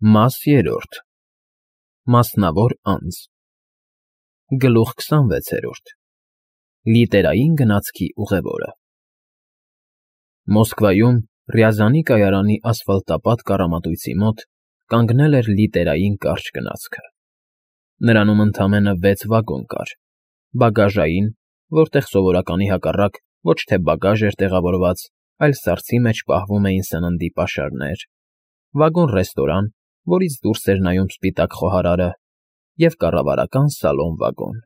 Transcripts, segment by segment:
Մաս երրորդ Մասնավոր անձ Գլուխ 26 Լիտերային գնացքի ուղևորը Մոսկվայում Ռյազանի կայարանի ասֆալտապատ կառամատույցի մոտ կանգնել էր լիտերային կարճ գնացքը։ Նրանում ընդամենը 6 վագոն կար, բագաժային, որտեղ սովորականի հակառակ ոչ թե բագաժ էր տեղավորված, այլ սառցի մեջ պահվում էին սննդի պաշարներ, վագոն֊ռեստորան, որից դուրս էր նայում սպիտակ խոհարարը, և կառավարական սալոն֊վագոն։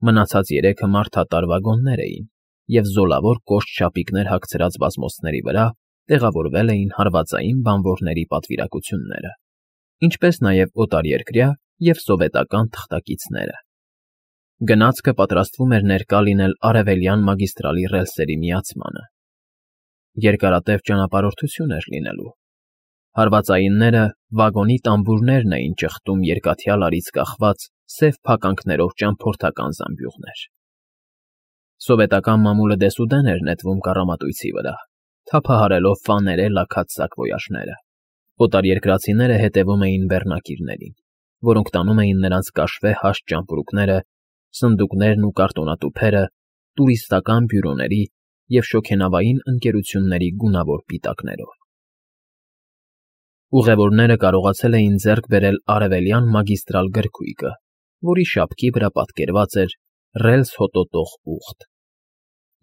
Մնացած 3-ը մարդատար վագոններ էին, և զոլավոր կոշտ շապիկներ հագցրած բազմոցների վրա տեղավորվել էին հարվածային բանվորների պատվիրակությունները, ինչպես նաև օտարերկրյա և սովետական թղթակիցները։ Գնացքը պատրաստվում էր ներկա լինել Արևելյան մագիստրալի ռելսերի միացմանը։ Երկարատև ճանապարհորդություն էր լինելու։ Հարվածայինները վագոնի տամբուրներն էին ճխտում երկաթյալ արից կախված սև փականքներով ճամփորդական զամբյուղներ։ Սովետական մամուլը դեսուդեն էր նետվում կառամատույցի վրա, թափահարելով ֆաներե լաքած սակվոյաժները։ Օտարերկրացիները հետևում էին բեռնակիրներին, որոնք տանում էին նրանց կաշվե հաստ ճամպրուկները, սնդուկներն ու կարտոնատուփերը տուրիստական բյուրոների և շոգենավային ընկերությունների գունավոր պիտակներով։ Ուղևորները կարողացել էին ձեռք բերել Արևելյան մագիստրալ գրքույկը, որի շապքի վրա պատկերված էր «Ռելս հոտոտող ուղտ»։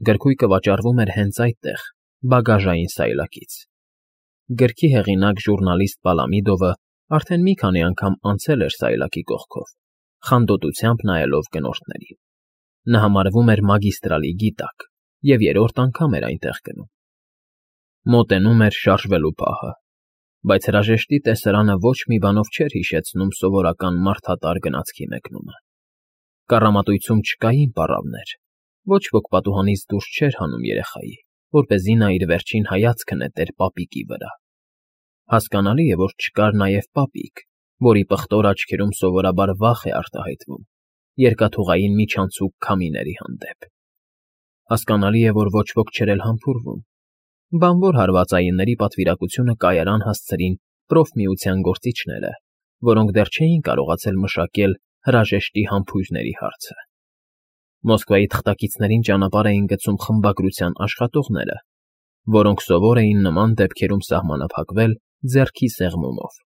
Գրքույկը վաճառվում էր հենց այդտեղ, բագաժային սայլակից։ Գրքի հեղինակ ժուռնալիստ Պալամիդովը արդեն մի քանի անգամ անցել էր սայլակի կողքով, խանդոտությամբ նայելով գնորդներին։ Նա համարվում էր մագիստրալի գիտակ և երրորդ անգամ էր այնտեղ գնում։ Մոտենում էր շարժվելու պահը, բայց հրաժեշտի տեսարանը ոչ մի բանով չէր հիշեցնում սովորական մարդատար գնացքի մեկնումը։ Կառամատույցում չկային պառավներ, ոչ ոք պատուհանից դուրս չէր հանում երեխայի, որպեսզի նա իր վերջին հայացքը նետեր պապիկի վրա։ Հասկանալի է, որ չկար նաև պապիկ, որի պղտոր աչքերում սովորաբար վախ է արտահայտվում երկաթուղային միջանցիկ քամիների հանդեպ։ Հասկանալի է, որ ոչ ոք չէր էլ համբուրվում։ Բանվոր հարվածայինների պատվիրակությունը կայարան հասցրին պրոֆմիության գործիչները, որոնք դեռ չէին կարողացել մշակել հրաժեշտի համբույրների հարցը։ Մոսկվայի թղթակիցներին ճանապարհ էին գցում խմբագրության աշխատողները, որոնք սովոր էին նման դեպքերում սահմանափակվել ձեռքի սեղմումով։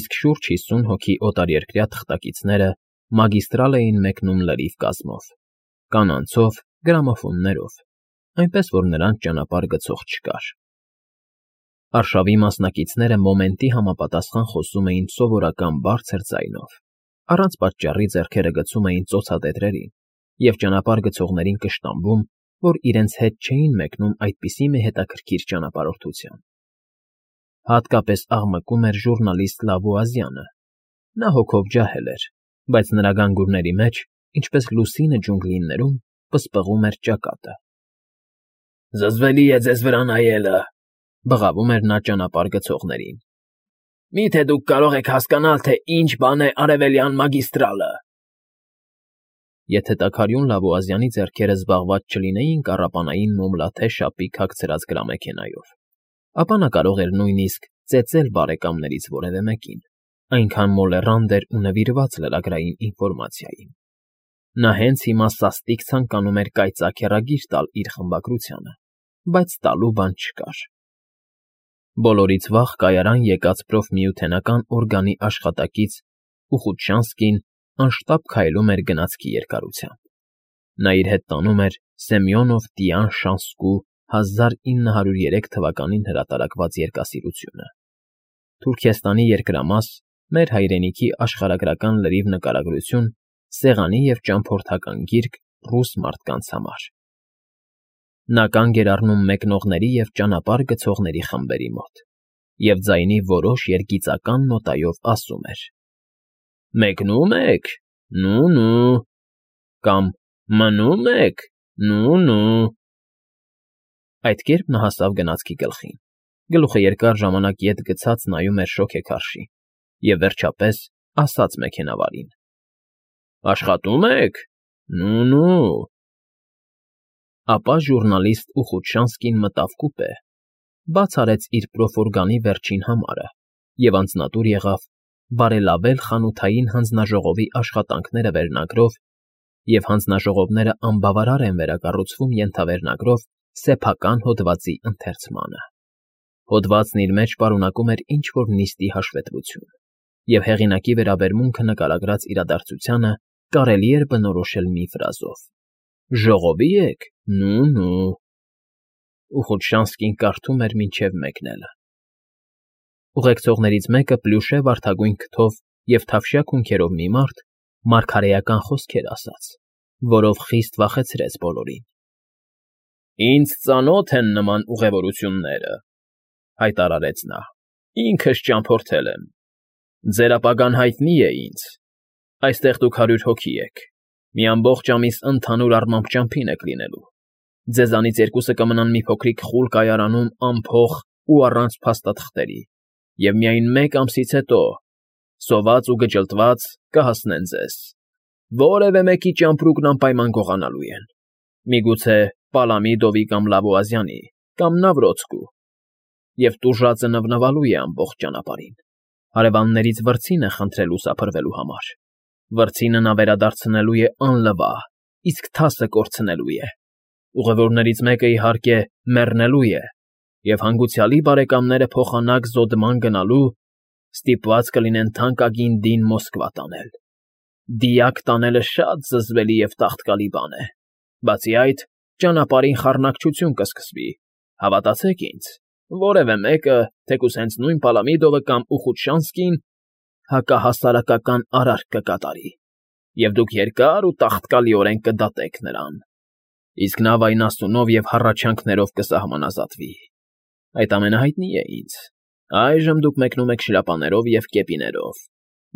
Իսկ շուրջ 50 հոգի օտարերկրյա թղթակիցները մագիստրալ էին մեկնում լրիվ կազմով, կանանցով, գրամոֆոններով, այնպես որ նրանց ճանապարհ գցող չկար։ Արշավի մասնակիցները մոմենտի համապատասխան խոսում էին սովորական բարձր ձայնով, առանց պատճառի ձեռքերը գցում էին ծոցադեդրերին և ճանապարհ գցողներին կշտամբում, որ իրենց հետ չէին մեկնում այդպիսի մի հետաքրքիր ճանապարհորդության։ Հատկապես աղմկում էր ժուռնալիստ Լավուազյանը։ Նա հոգով ջահել էր, բայց նրա գանգուրների մեջ, ինչպես լուսինը ջունգլիներում, պսպղում էր ճակատը։ «Զզվելի է ձեզ վրա նայելը», ֊ բղավում էր նա ճանապարհ գցողներին։ «Մի՞թե դուք կարող եք հասկանալ, թե ինչ բան է Արևելյան մագիստրալը»։ Եթե տաքարյուն Լավուազյանի ձեռքերը զբաղված չլինեին կառապանային մոմլաթե շապիկ հագցրած գրամեքենայով, ապա նա կարող էր նույնիսկ ծեծել բարեկամներից որևէ մեկին, այնքան մոլեռանդ էր ու նվիրված լրագրային ինֆորմացիային։ Նա հենց հիմա սաստիկ ցանկանում էր կայծակ հեռագիր տալ իր խմբագրությանը, բայց տալու բան չկար։ Բոլորից վաղ կայարան եկած պրոֆմիութենական օրգանի աշխատակից Ուխուտշանսկին անշտապ քայլում էր գնացքի երկարությամբ։ Նա իր հետ տանում էր Սեմյոնով֊Տյան Շանսկու 1903 թվականին հրատարակված երկասիրությունը։ Թուրքեստանի երկրամաս, մեր հայրենիքի աշխարհագրական լրիվ նկարագրություն, սեղանի և ճամփորդական գիրք ռուս մարդկանց համար։ Նա կանգ էր առնում մեկնողների և ճանապարհ գցողների խմբերի մոտ և ձայնի որոշ երգիծական նոտայով ասում էր. «Մեկնո՞ւմ եք, նու֊նու» կամ «Մնում եք, նու֊նու»։ Այդ կերպ նա հասավ գնացքի գլխին, գլուխը երկար ժամանակ ետ գցած նայում էր շոգեքարշին և, վերջապես, ասաց մեքենավարին. «Աշխատո՞ւմ եք, նու֊նու»։ Ապա ժուռնալիստ Ուխուտշանսկին մտավ կուպե, բաց արեց իր պրոֆորգանի վերջին համարը և անձնատուր եղավ բարելավել խանութային հանձնաժողովի աշխատանքները վերնագրով և հանձնաժողովները անբավարար են վերակառուցվում ենթավերնագրով սեփական հոդվածի ընթերցմանը։ Հոդվածն իր մեջ պարունակում էր ինչ-որ նիստի հաշվետվություն, և հեղինակի վերաբերմունքը նկարագրած իրադարձությանը կարելի էր բնորոշել մի ֆրազով. «Ժողովի եք, նու»։ Ուխոչնսկին կարդում էր մինչև մեկնելը։ Ուղեկցողներից մեկը պլյուշե վարդագույն քթով և թավշյա քունքերով մի մարդ մարգարեական խոսքեր ասաց, որով խիստ վախեցրեց բոլորին։ «Ինձ ծանոթ են նման ուղևորությունները», հայտարարեց նա, «ինքս ճամփորդել եմ։ Ձեր ապագան հայտնի է ինձ։ Այստեղ դուք 100 հոգի եք, մի ամբողջ ամիս ընդհանուր առմամբ ճամփին եք լինելու։ Ձեզանից 2-ը կմնան մի փոքրիկ խուլ կայարանում անփող ու առանց փաստաթղթերի, և միայն 1 ամսից հետո, սոված ու գճլտված, կհասնեն ձեզ։ Որևէ մեկի ճամպրուկն անպայման գողանալու են, միգուցե Պալամիդովի կամ Լավուազյանի կամ Նավրոցկու, և տուժածը նվնվալու է ամբողջ ճանապարհին։ Հարևաններից վրձին է խնդրելու սափրվելու համար։ Վրձինը նա վերադարձնելու է անլվա, իսկ թասը կորցնելու է։ Ուղևորներից մեկը, իհարկե, մեռնելու է, և հանգուցյալի բարեկամները փոխանակ զոդման գնալու ստիպված կլինեն թանկագին դին Մոսկվա տանել։ Դիակ տանելը շատ զզվելի և տաղտկալի բան է։ Բացի այդ, ճանապարհին խառնակցություն կսկսվի, հավատացեք ինձ, որևէ մեկը, թեկուզ հենց նույն Պալամիդովը կամ Ուխուտշանսկին, հակահասարակական արարք կկատարի, և դուք երկար ու տաղտկալիորեն կդատեք նրան, իսկ նա վայնասունով և հառաչանքներով կսահմանազատվի։ Այդ ամենը հայտնի է ինձ։ Այժմ դուք մեկնում եք շրապաներով և կեպիներով,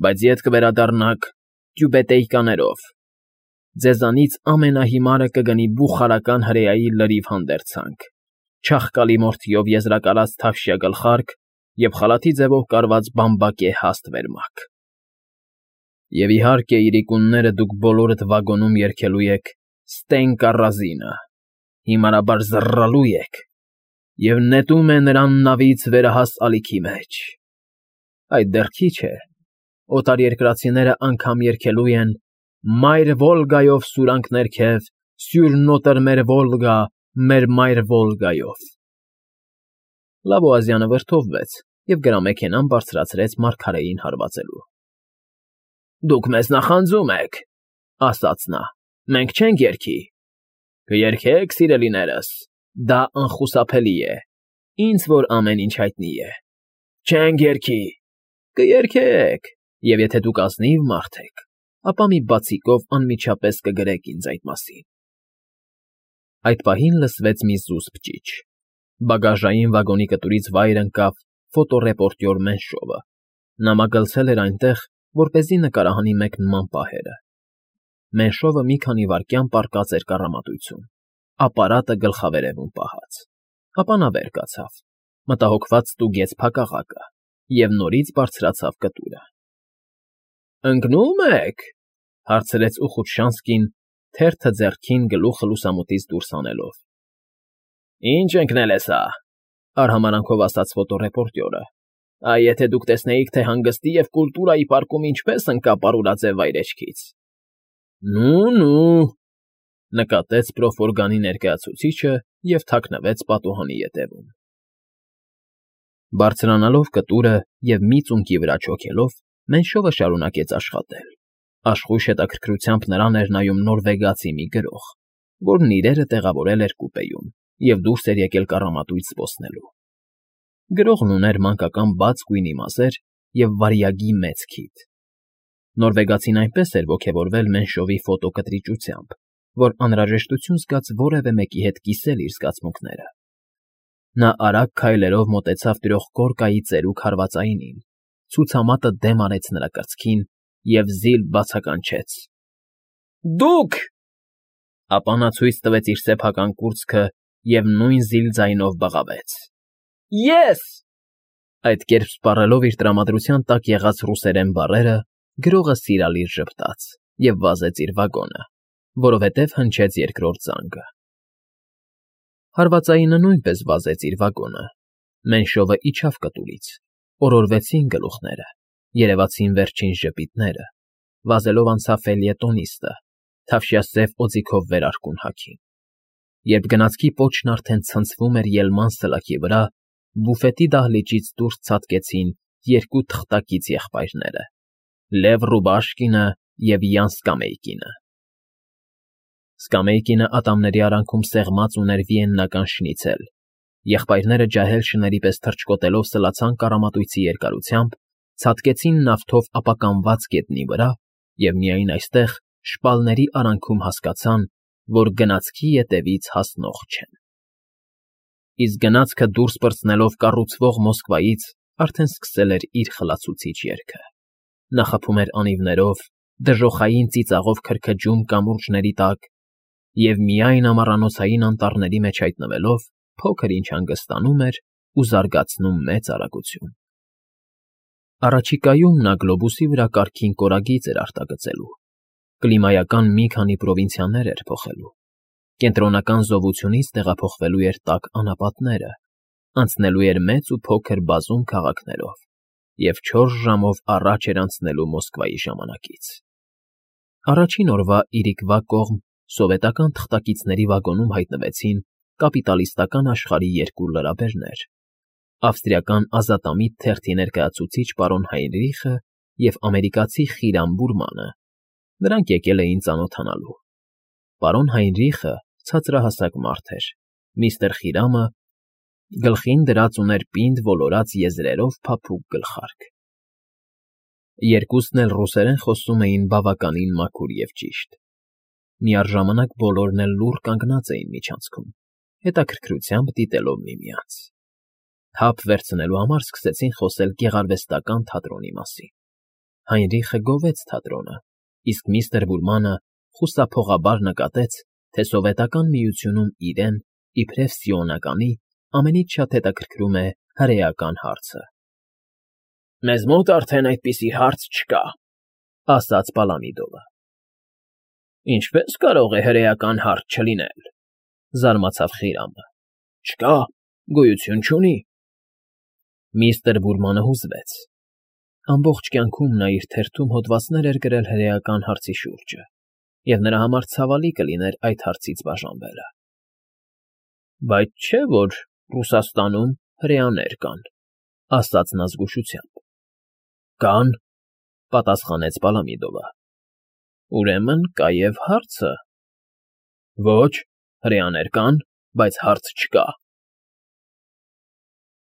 բայց ետ կվերադառնաք տյուբետեյկաներով։ Ձեզանից ամենահիմարը կգնի բուխարական հրեայի լրիվ հանդերձանք, չաղկալի մորթիով եզրակալած թավշյա գլխարկ և խալաթի ձևով կարված բամբակե հաստ վերմակ։ Եվ իհարկե, իրիկունները դուք բոլորդ վագոնում երգելու եք Ստենկա Ռազինը, հիմարաբար զռռալու եք, և նետում է նրան նավից վերահաս ալիքի մեջ։ Այդ դեռ քիչ է, օտարերկրացիները անգամ երգելու են «Մայր Վոլգայով սուրանք ներքև, սյուր նոտրը մեր Վոլգա, մեր մայր Վոլգայով»։ Լավոազյանը վրդովվեց և գրամեքենան բարձրացրեց մարգարեին հարվածելու։ «Դուք մեզ նախանձում եք», ասաց նա, «մենք չենք երգի»։ «Կերգեք, սիրելիներս, դա անխուսափելի է, ինձ որ ամեն ինչ հայտնի է»։ «Չենք երգի»։ «Կերգեք, և եթե դուք ազնիվ մարդ եք, ապա մի բացիկով անմիջապես կգրեք ինձ այդ մասին»։ Այդ պահին լսվեց մի զուսպ ճիչ։ Բագաժային վագոնի կտուրից վայր ընկավ ֆոտոռեպորտյոր Մենշովը։ Նա մագլցել էր այնտեղ, որպեսզի նկարահանի մեկնման պահերը։ Մենշովը մի քանի վայրկյան պառկած էր կառամատույցում, ապարատը գլխավերևում պահած, ապա նա վեր կացավ, մտահոգված ստուգեց փակաղակը և նորից բարձրացավ կտուրը։ «Ընկնո՞ւմ եք», հարցրեց Ուխուտշանսկին, թերթը ձեռքին գլուխը լուսամուտից դուրս հանելով։ «Ինչ ընկնել է սա», արհամարանքով ասաց ֆոտոռեպորտյորը։ «Այ եթե դուք տեսնեիք, թե հանգստի և կուլտուրայի պարկում ինչպես ընկա պարուրաձև վայրէջքից»։ «Նու», նկատեց Պրոֆորգանի ներկայացուցիչը և թաքնվեց պատուհանի ետևում։ Բարձրանալով կտուրը և մի ծունկի վրա չոքելով, Մենշովը շարունակեց աշխատել։ Աշխույժ հետաքրքրությամբ նրան էր նայում նորվեգացի մի գրող, որն իրերը տեղավորել էր կուպեում և դուրս էր եկել կառամատույց զբոսնելու։ Գրողն ուներ մանկական բաց գույնի մազեր և վարյագի մեծ քիթ։ Նորվեգացին այնպես էր ոգևորվել Մենշովի ֆոտոկտրիճությամբ, որ անհրաժեշտություն զգաց որևէ մեկի հետ կիսել իր զգացմունքները։ Նա արագ քայլերով մոտեցավ տրողկորկայի ծերուկ հարվածայինին, ցուցամատը դեմ արեց նրա կրծքին և զիլ բացականչեց. «Դուք»։ Ապա նա ցույց տվեց իր սեփական կուրծքը և նույն զիլ ձայնով բղավեց. «Ես»։ Այդ կերպ սպառելով իր տրամադրության տակ եղած ռուսերեն բառերը, գրողը սիրալիր ժպտաց և վազեց իր վագոնը, որովհետև հնչեց երկրորդ զանգը։ Հարվածայինը նույնպես վազեց իր վագոնը։ Մենշովը իջավ կտուրից Օրորվեցին գլուխները, երևացին վերջին ժպիտները, վազելով անցավ ֆելյետոնիստը, թավշյա սև օձիքով վերարկուն հագին։ Երբ գնացքի պոչն արդեն ցնցվում էր ելման սլաքի վրա, բուֆետի դահլիճից դուրս ցատկեցին երկու թղթակից եղբայրները՝ Լև Ռուբաշկինը և Յան Սկամեյկինը։ Սկամեյկինը ատամների արանքում սեղմած ուներ վիեննական շնիցել, եղբայրները ջահել շների պես թռչկոտելով սլացան կառամատույցի երկարությամբ, ցատկեցին նավթով ապականված գետնի վրա և միայն այստեղ, շպալների արանքում հասկացան, որ գնացքի ետևից հասնող չեն։ Իսկ գնացքը դուրս պրծնելով կառուցվող Մոսկվայից արդեն սկսել էր իր խլացուցիչ երգը։ Նա խփում էր անիվներով, դժոխային ծիծաղով քրքջում կամուրջների տակ և միայն ամառանոցային անտառների մեջ հայտնվելով փոքր ինչ հանգստանում էր ու զարգացնում մեծ արագություն։ Առաջիկայում նա գլոբուսի վրա կարգին կորագիծ էր արտագծելու, կլիմայական մի քանի պրովինցիաներ էր փոխելու, կենտրոնական զովությունից տեղափոխվելու էր տաք անապատները, անցնելու էր մեծ ու փոքր բազում քաղաքներով և 4 ժամով առաջ էր անցնելու Մոսկվայի ժամանակից։ Առաջին օրվա իրիկվա կողմ սովետական թղթակիցների վագոնում հայտնվեցին կապիտալիստական աշխարհի երկու լրաբերներ՝ ավստրիական ազատամիտ թերթի ներկայացուցիչ պարոն Հայնրիխը և ամերիկացի Խիրամ Բուրմանը։ Նրանք եկել էին ծանոթանալու։ Պարոն Հայնրիխը ցածրահասակ մարդ էր, միստր Խիրամը գլխին դրած ուներ պինդ ոլորած եզրերով փափուկ գլխարկ։ Երկուսն էլ ռուսերեն խոսում էին բավականին մաքուր և ճիշտ։ Միառժամանակ բոլորն էլ լուռ կանգնած էին միջանցքում, հետաքրքրությամբ դիտելով միմյանց։ Թափ վերցնելու համար սկսեցին խոսել գեղարվեստական թատրոնի մասին։ Հայնրիխը գովեց թատրոնը, իսկ միստր Բուրմանը խուսափողաբար նկատեց, թե Սովետական Միությունում իրեն, իբրև սիոնականի, ամենից շատ հետաքրքրում է հրեական հարցը։ «Մեզ մոտ արդեն այդպիսի հարց չկա», ասաց Պալամիդովը։ «Ինչպե՞ս կարող է հրեական հարց չլինել,֊ զարմացավ Խիրամը։ Չկա, գոյություն չունի։ Միստր Բուրմանը հուզվեց։ Ամբողջ կյանքում նա իր թերթում հոդվածներ էր գրել հրեական հարցի շուրջը, և նրա համար ցավալի կլիներ այդ հարցից բաժանվելը։ Բայց չէ՞ որ Ռուսաստանում հրեաներ կան,֊ ասաց նա զգուշությամբ։ Կան,֊ պատասխանեց Պալամիդովը։ Ուրեմն կա և հարցը։ Ոչ, հրեաներ կան, բայց հարց չկա։